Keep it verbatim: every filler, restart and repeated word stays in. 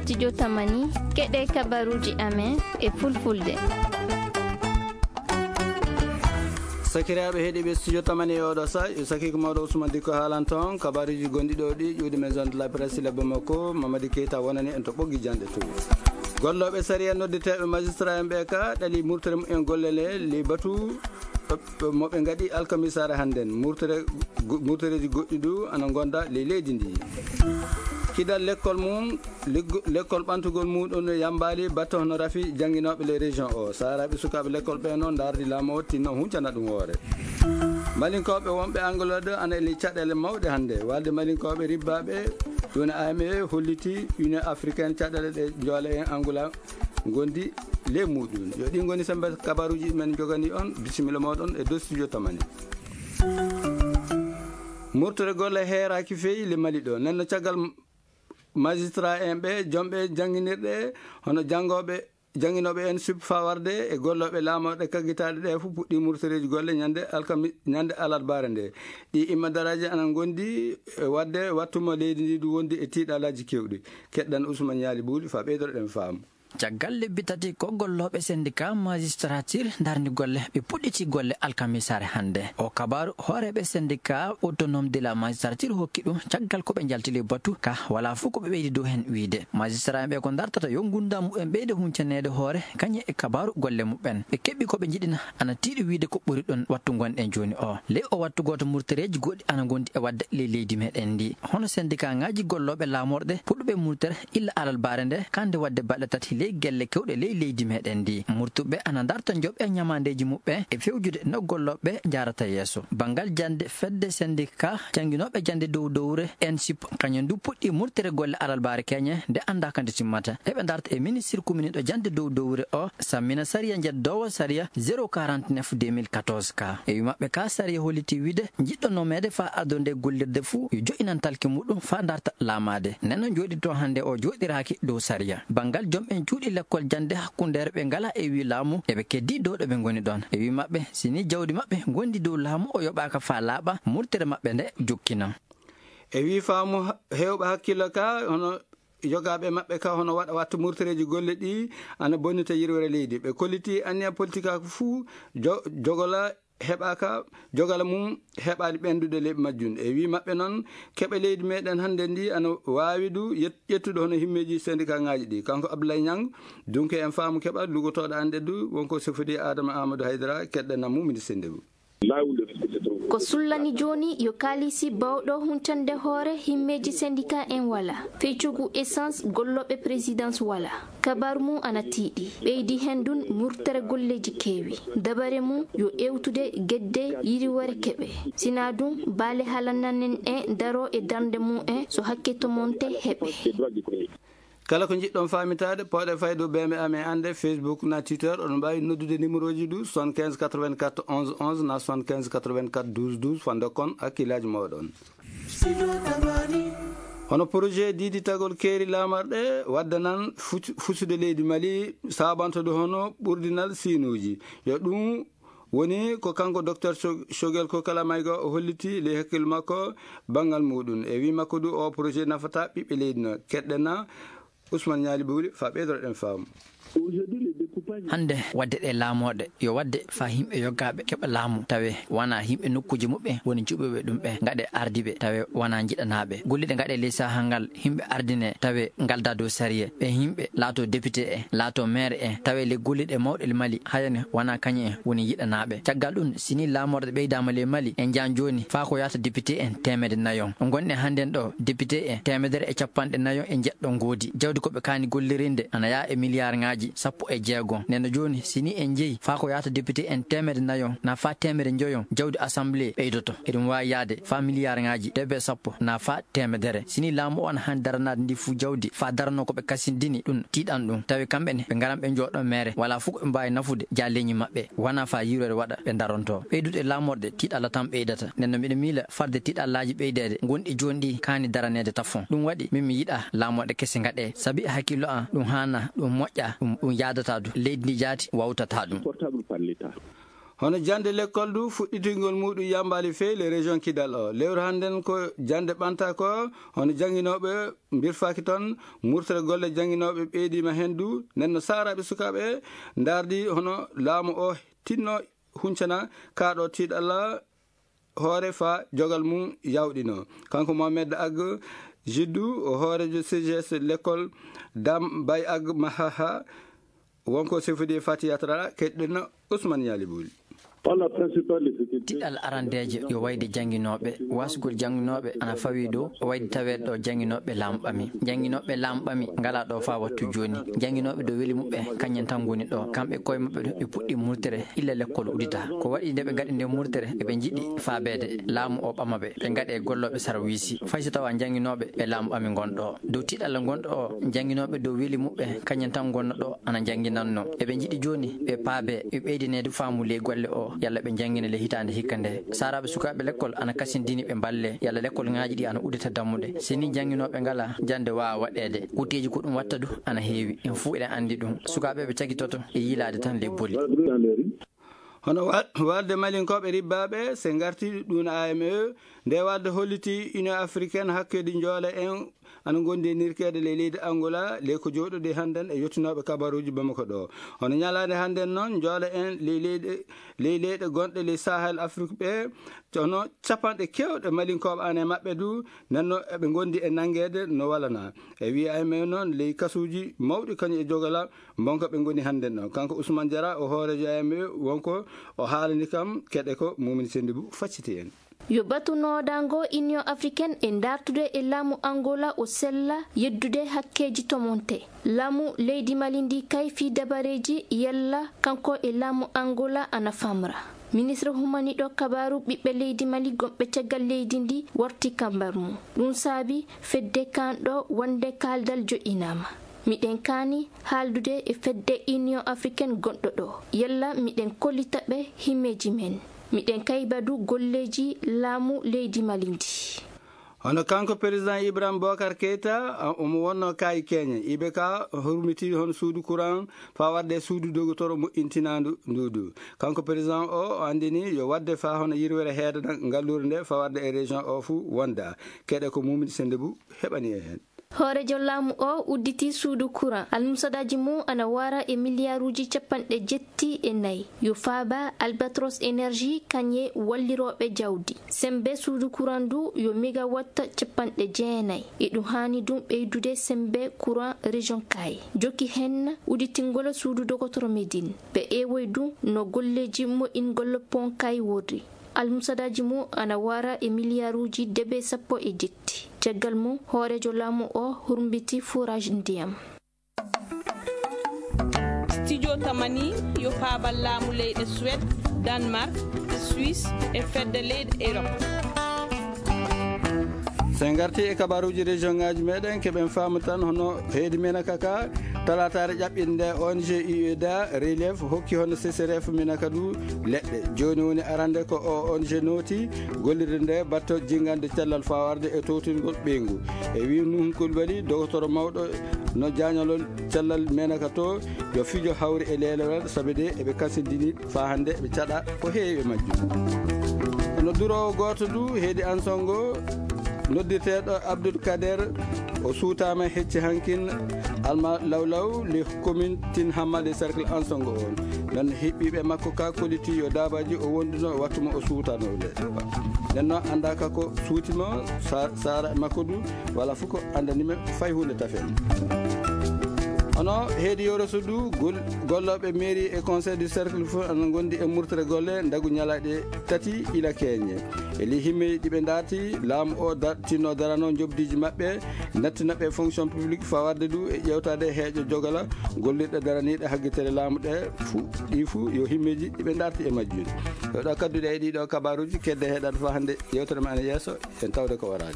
Studio Tamani, keɗe kabaruji amen e fulfulde. Sakiraaɓe heɗiiɓe Studio Tamani e oɗo sa, yo sakiiko mawɗo Ousmane Dikko haalan toon kabaruji gonɗi ɗo ɗi ƴuwdi Maison de la Presse le Bamako, Mamadi Keita wonani en to ɓoggi janɗe to. Gollooɓe sariya noddeteeɓe magistrat en ɓe ka ɗali murtere mumen golle le, li batu mo ɓe ngaɗi alkamisaare hannden. Murtere, go-, murtereeji goɗɗi du ana ngonda ley leydi ndi. Kidal lekkol mum, leggo-, lekkol ɓantugol muɗum no yambaali batte hono rafi jannginooɓe ley région o. Saaraaɓe sukaaɓe lekkol ɓe noon ndaardi laamu o tinno huncana ɗum hoore. Malinkooɓe wonɓe Angleterre ana e ley caɗeele mawɗe hannde. Walde Malinkooɓe ribbaaɓe ɗum A M E holliti Union Africaine caɗeele ɗe joole en Angola ngondi ley muɗum. Yo ɗi ngoni sembe kabaruji men jogani on. Bisimilla moɗon e dow Studio Tamani. Murtere golle heeraaki feyi le Mali ɗo. Nenno caggal magistrat en ɓe, jomɓe jannginirɗe, hono janngooɓe, jannginooɓe en suɓi fawarde e gollooɓe laamorɗe kaggitaaɗe ɗe fof puɗɗi murtereeji golle ñande alkami-, ñande alarbaare nde. Ɗi imma daraaji ana ngondi e waɗde wattu mo leydi ndi du wondi e tiiɗalaaji kewɗi. Keɗɗan Ousmane Ñaali Buuli fa ɓeydoɗen faamu. Caggal lebbi tati ko gollooɓe syndicat magistrature ndarni golle, ɓe puɗɗiti golle alkamisaare hannde. O kabaaru hooreeɓe syndicat autonome de la magistrature hokki ɗum caggal ko ɓe njaltili batu ka wala fof ko ɓe ɓeydi dow heen wiyde. Magistrat en ɓe ko ndartata yo ngurndan mumen ɓeyde huncaneede hoore kañum e kabaaru golle mumen. Ɓe keɓi ko ɓe njiɗina ana tiiɗi wiyde ko ɓuri ɗon wattu ngonɗen jooni o. Ley o wattu gooto murtereeji goɗɗi ana ngondi e waɗde ley leydi meɗen ndi. Hono syndicat ŋaaji gollooɓe laamorɗe puɗɗuɓe murtere illa alarbaare nde, kande waɗde balɗe tati ley gelle kewɗe ley leydi meɗen ndi. Murtuɓe ana ndarta njoɓe ñamandeeji muɓɓe e fewjude no gollooɓe njaarata yeeso. Banngal jannde fedde syndicat jannginooɓe jannde dow dowre ensip, kañum du puɗɗi murtere golle alarbaare keñe nde annda ka nde timmata. Eɓe ndarta e ministre kuminiɗo jannde dow dowre o, sammina sariya njeddoowo sariya zéro quarante-neuf deux mille quatorze ka. E wi maɓɓe ka sariya holliti wiyde jiɗɗo nomeede fa ardonde gollirde fuu yo jo'inan talki muɗum fa ndarta laamaade. Nenno jooɗi to hannde o jooɗiraaki dow sariya. Banngal jom en cuuɗi lekkol jannde hakkundeere ɓe ngala e wi laamu eɓe keddi dow ɗo ɓe ngoni ɗon. E wi maɓɓe sini jawdi maɓɓe ngondi dow laamu o yoɓaaka fa laaɓa murtere maɓɓe nde jokkina. E wi faamu ha-, heewɓe hakkillo ka hono yogaaɓe maɓɓe ka hono waɗa wattu murtereeji golle ɗi ana bonnita yirwere leydi. Ɓe kolliti anniya politikaaku fuu jo-, jogola heɓaaka, jogala mum heɓaani ɓenndude leyɗe majjum. E wi maɓɓe noon, keɓe leydi meɗen hannde ndi ana waawi du yet-, ƴettude hono himmeeji syndicat ŋaaji ɗi. Kanko Abdoulaye Niang, dunke en faamu keɓa lugotooɗo annde du, wonko sefodi Adama Amadou Haydara, keɗɗen nammu ministre ndewu. Ko sullani jooni yo kaalisi bawɗo huncande hoore himmeeji syndicat en wala. Feccugu essence gollooɓe présidence wala. Kabaru mum ana tiiɗi. Ɓeydi heen ɗum murtere golleeji keewi. Dabare mum yo ewtude gedde yiriwore keɓe. Sinaa ɗum, baale halananen en daro e darnde mum en so hakke tomonte heɓe. Kala ko njiɗɗon faamitaade, pooɗe faydu B M A men annde, Facebook na Twitter, oɗon mbaawi noddude numéroji du soixante-quinze quatre-vingt-quatre onze onze na soixante-quinze quatre-vingt-quatre douze douze, fande kon hakkillaaji mooɗon. Hono projet diiditagol keeri laamarɗe waddanan fuc-, fusude leydi Mali, saabanto du hono ɓurdinal siinuuji. Yo ɗum woni ko kanko Docteur Cho-, Choguel Kokala Maïga o holliti ley hakkille makko banngal muɗum. E wi makko du o projet nafata ɓiɓɓe leydi no. Keɗɗena Ousmane Ñaali Bowli fa ɓeydoroɗen faamu. Hannde, waɗde ɗe laamooɗe, yo waɗde faa yimɓe yoggaaɓe keɓa laamu, tawe wanaa yimɓe nokkuuji muɓɓen woni cuɓuɓe ɗum ɓe, ngaɗe ardiiɓe, tawe wanaa njiɗanaaɓe. Golliɗe ngaɗe ley sahaa ngal, yimɓe ardine, tawe ngaldaa dow sariya. Ɓe yimɓe laatoo député en, laatoo maire en, tawe ley golliɗe mawɗe ley Mali, hayane wanaa kañum en woni yiɗanaaɓe. Caggal ɗum, si nii laamorde ɓeydaama ley Mali, en njaan jooni faa ko yaata député en teemedde nayon. Ngonɗen hannden ɗo, député en teemedere e cappanɗe nayon e njeɗɗo ngoodi. Jawdi ko ɓe kaani gollirinde ana yaha e miliyaarŋaaji sappo e jeegom. Nden no jooni, si nii en njehi faa ko yaata député en teemedde nayon, naa faa teemedde njoyon, jawdi assemblée ɓeydoto. Eɗum waawi yahde faa miliyaarŋaaji debe sappo, naa faa teemedere. Si nii laamu o ana haani daranaade ndi fuu jawdi, faa daranoo ko ɓe kasindini ɗum, tiiɗan ɗum. Tawi kamɓe ne, ɓe ngaran ɓe njooɗoo meere, walaa fof ko ɓe mbaawi nafude jaalleeñi maɓɓe. Wanaa faa yiiloore waɗa ɓe ndarontoo. Ɓeydude e laamorde tiiɗalla tan ɓeydata. Nden no miɗo miila farde tiiɗallaaji ɓeydeede gonɗi jooni ɗi kaani daraneede tafon. Ɗum waɗi min mi yiɗaa laamorde kese ngaɗee. Sabi e hakkillo an ɗum haanaa, ɗum moƴƴaa, ɗum, ɗum yaadataa du. Leydi ndi jaati wawtataa ɗum. Hono jannde lekkol du fuɗɗitingol muɗum yambaali feewi le région Kidal o. Lewru hannden ko jannde ɓanta ko hono jannginooɓe mbirfaaki toon, murtere golle jannginooɓe ɓeydiima heen du. Nden no saaraaɓe sukaaɓe ndaardi hono laamu o tinno huncana kaaɗo tiiɗalla hoore faa jogal mum yawɗino. Kanko Mohamed Ag Jiddu, o hooreejo C G S lekkol Dam Bay Ag Mahaha, wonko sefodi e Fati Yatra, keɗɗen Ousmane Yali Bouli. Tiɗal arandeejo yo wayde jannginooɓe. Waasugol jannginooɓe ana fawii ɗo, o wayde taweede ɗo jannginooɓe laamu ɓami. Jannginooɓe laamu ɓami ngalaa ɗo faa wattu jooni. Jannginooɓe dow weli muɓɓe, kañum tan ngoni ɗo. Kamɓe koye maɓɓe ɗum, ɓe puɗɗii murtere illa lekkol uddita. Ko waɗi nde ɓe ngaɗi nde murtere, eɓe njiɗi faabeede laamu o ɓama ɓe, ɓe ngaɗe gollooɓe sarwiisi. Fay so tawaa jannginooɓe ɓe laamu ɓami ngon ɗo. Dow tiɗalla ngonɗo o, jannginooɓe dow weli muɓɓe, kañum tan ngonno ɗo ana njannginanno. Eɓe njiɗi jooni ɓe paabe, ɓe ɓeydineede faamu ley golle o, yalla ɓe njanngina ley hitaande hikka nde. Saaraaɓe sukaaɓe lekkol ana kasindini ɓe mballe, yalla lekkol ŋaaji ɗi ana uddita dammuɗe. Si ni jannginooɓe ngalaa, jannde waawa waɗeede. Kuuteeji ko ɗum watta du ana heewi. En fuu eɗen anndi ɗum. Sukaaɓe ɓe cagitoto e yiilaade tan ley boli. Hono wa-, walde Malinkooɓe ribbaaɓe, se ngarti ɗum A M E, nde walde holliti Union Africaine hakkeeji njoole en ana ngondi e nirkeede ley leydi Angola, ley ko jooɗodi hannden e yottinooɓe kabaruuji Bamako ɗo. Hono ñalaande hannden noon, njoole en ley leyɗe, ley leyɗe gonɗe ley Sahel Afrik ɓe, hono capanɗe keewɗe Malinkooɓe ana e maɓɓe du, nden no eɓe ngondi e nanngeede no walanaa. E wiya A M E noon, ley kasuuji mawɗi kañum e jogala, mbonko ɓe ngoni hannden ɗo. Kanko Ousmane Diarra, o hooreejo A M E, wonko o haalani kam, keɗe ko Mumini Sendibu facciti en. Yo batu noodango Union Africaine e dartude e laamu Angola o sella yeddude hakkeeji tomonte. Laamu leydi Mali ndi kay fii dabareeji yalla kanko e laamu Angola ana famra. Ministre humaniɗo kabaaru ɓiɓɓe leydi Mali gonɓe caggal leydi ndi warti kambar mum. Ɗum saabi fedde kanɗo wonde kaaldal joɗɗinaama. Miɗen kaani haaldude e fedde Union Africaine gonɗo ɗo. Yalla miɗen kollita ɓe himmeeji men. Miɗen kaybadu golleeji laamu leydi Mali ndi. Hono kanko président Ibrahim Bokar Keita, a, omo wonno kaayi Kenya. I B K hurmiti hono suudu courant faa waɗde suudu dogotoro moƴƴintinaandu nduudu. Kanko président o, o anndini yo waɗde faa hono yirwere heedana ngalluure nde faa waɗde e région o fuu wonda. Keɗe ko Mumini Sendibu heɓani e heen. Hooreejo laamu o udditi suudu courant. Almusadaaji mum ana wara e miliyaaruuji capanɗe jetti e nayi. Yo faaba Albatros Energy kañe wallirooɓe jawdi. Sembe suudu courant ndu yo megawatt capanɗe jeenayi. Eɗum haani ɗum ɓeydude sembe courant région Kaayi. Jokki heen udditingol suudu dogotoro Médine. Ɓe ewoy ɗum no golleeji moƴƴingol pont Kaayi worri. Almusadaaji mum ana wara e miliyaaruuji debe sappo e jetti. Caggal mum, hooreejo laamu o hurmbiti forage ndiyam. Studio Tamani yo faabal laamu leyɗe Suède, Danemark, Suisse e fedde leyɗe Europe. So en ngarti e kabaruuji région ŋaaji meɗen, keɓen faamu tan hono heedi Menaka ka, talaataare ƴaɓɓiinde nde O N G U E D A Relief hokki hono C C R F Menaka du leɗɗe. Jooni woni arande ko O N G nooti gollirde nde batto jingande cellal fawarde e towtingol ɓeyngu. E wii Nuhun Kulbali, dogotoro mawɗo no jaañalol cellal Menaka to, yo fijo hawri e leelewal, sabi de eɓe kasindini faa hannde eɓe caɗa ko heewi e majjum. Kono duroowo gooto du heedi Ansongo, noddirteeɗo Abdoul Kader, o suutaama hecci hankin Alma Lawlaw, le commune Tin Hamma, le cercle Ansongo on. Noon heɓɓiiɓe makko ka kolliti yo daabaaji o wonduno wattu mo o suutano le. Nden noon annda ka ko suuti mo, sa-, saara e makko du, wala fof ko anndani men fay huunde tafen. Hono heedi Yoro Sud du, gol-, gollooɓe mairie e conseil du cercle fof ana ngondi e murtere golle ndagu ñalaaɗe tati ila keñe. E ley himmeeji ɗi ɓe ndaarti, laamu o da-, tinno darano njoɓdiiji maɓɓe, nattina ɓe fonction publique fawarde du e ƴeewtaade heeƴo jogala gollirɗe daraniiɗe haggitere laamu ɗe fuu, ɗi fuu yo himmeeji ɗi ɓe ndaarti e majjum. Yo ɗo kadduɗe e ɗiɗo kabaruuji kedde heɗaade faa hannde yewtere men ana yeeso, en tawde ko waraade.